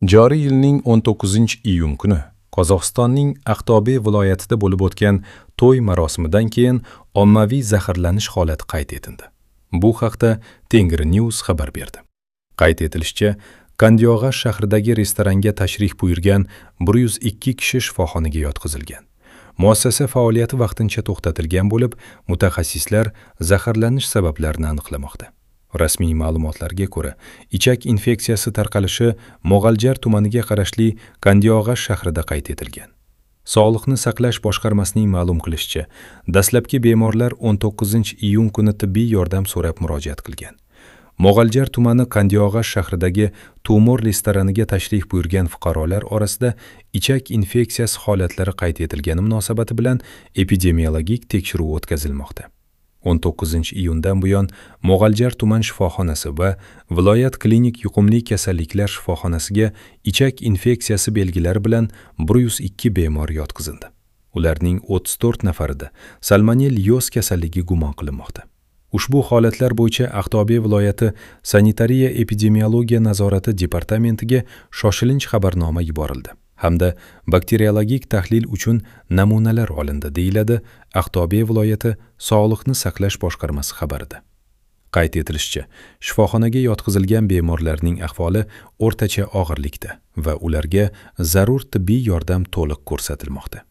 Joriy yilning 19-iyun kuni Qozog'istonning Aqto'be viloyatida bo'lib o'tgan to'y marosimidan keyin ommaviy zaharlanish holati qayd etildi. Bu haqda Tengri News xabar berdi. Qayd etilishicha, Kandiog'ash shahridagi restoranga tashrif buyurgan 102 kishi shifoxonaga yotqizilgan. Muassasa faoliyati vaqtincha to'xtatilgan bo'lib, mutaxassislar zaharlanish sabablarini aniqlamoqda. Rasmiy ma'lumotlarga ko'ra, ichak infeksiyasi tarqalishi Mo'g'aljar tumaniga qarashli Kandiog'ash shahrida qayd etilgan. Sog'liqni saqlash boshqarmasining ma'lum qilishicha, dastlabki bemorlar 19-iyun kuni tibbiy yordam so'rab murojaat qilgan. Mo'g'aljar tumani Kandiog'ash shahridagi Tumor restoraniga tashrif buyurgan fuqarolar orasida ichak infeksiyasi holatlari qayd etilgani munosabati bilan epidemiologik tekshiruv o'tkazilmoqda. 19-iyundan buyon Mo'g'aljar tuman shifoxonasi va viloyat klinik yuqumli kasalliklar shifoxonasiga ichak infeksiyasi belgilari bilan 102 bemor yotqizildi. Ularning 34 nafarida salmonellyoz kasalligi gumon qilinmoqda. Ushbu holatlar bo'yicha Aqto'be viloyati sanitariya epidemiologiya nazorati departamentiga shoshilinch xabarnoma yuborildi hamda bakteriologik tahlil uchun namunalar olindi, deyiladi Aqto'be viloyati Sog'liqni saqlash boshqarmasi xabarida. Qayd etilishicha, shifoxonaga yotqizilgan bemorlarning ahvoli o'rtacha og'irlikda va ularga zarur tibbiy yordam to'liq ko'rsatilmoqda.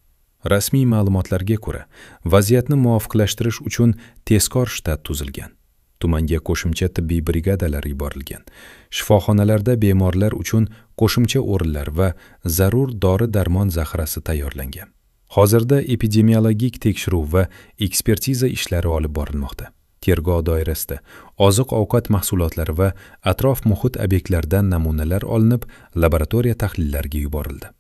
Rasmiy ma'lumotlarga ko'ra, vaziyatni muvofiqlashtirish uchun tezkor shtat tuzilgan. Tumanga qo'shimcha tibbiy brigadalar yuborilgan. Shifoxonalarda bemorlar uchun qo'shimcha o'rinlar va zarur dori-darmon zaxirasi tayyorlangan. Hozirda epidemiologik tekshiruv va ekspertiza ishlari olib borilmoqda. Tergov doirasida oziq-ovqat mahsulotlari va atrof-muhit obyektlaridan namunalar olinib, laboratoriya tahlillariga yuborildi.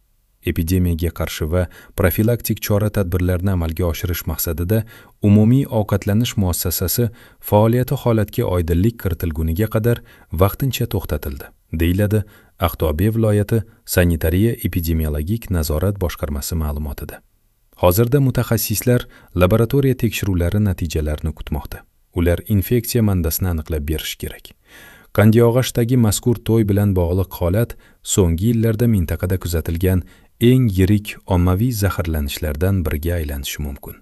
Epidemiyaga qarshi va profilaktik chora-tadbirlarni amalga oshirish maqsadida umumiy ovqatlanish muassasasi faoliyati holatga oydinlik kiritilguniga qadar vaqtincha to'xtatildi, deyiladi Aqto'be viloyati sanitariya epidemiologik nazorat boshqarmasi ma'lumotida. Hozirda mutaxassislar laboratoriya tekshiruvlari natijalarini kutmoqda. Ular infeksiya manbasini aniqlab berishi kerak. Kandiog'ashdagi mazkur to'y bilan bog'liq holat so'nggi yillarda mintaqada kuzatilgan eng yirik ommaviy zaharlanishlardan biriga aylanishi mumkin.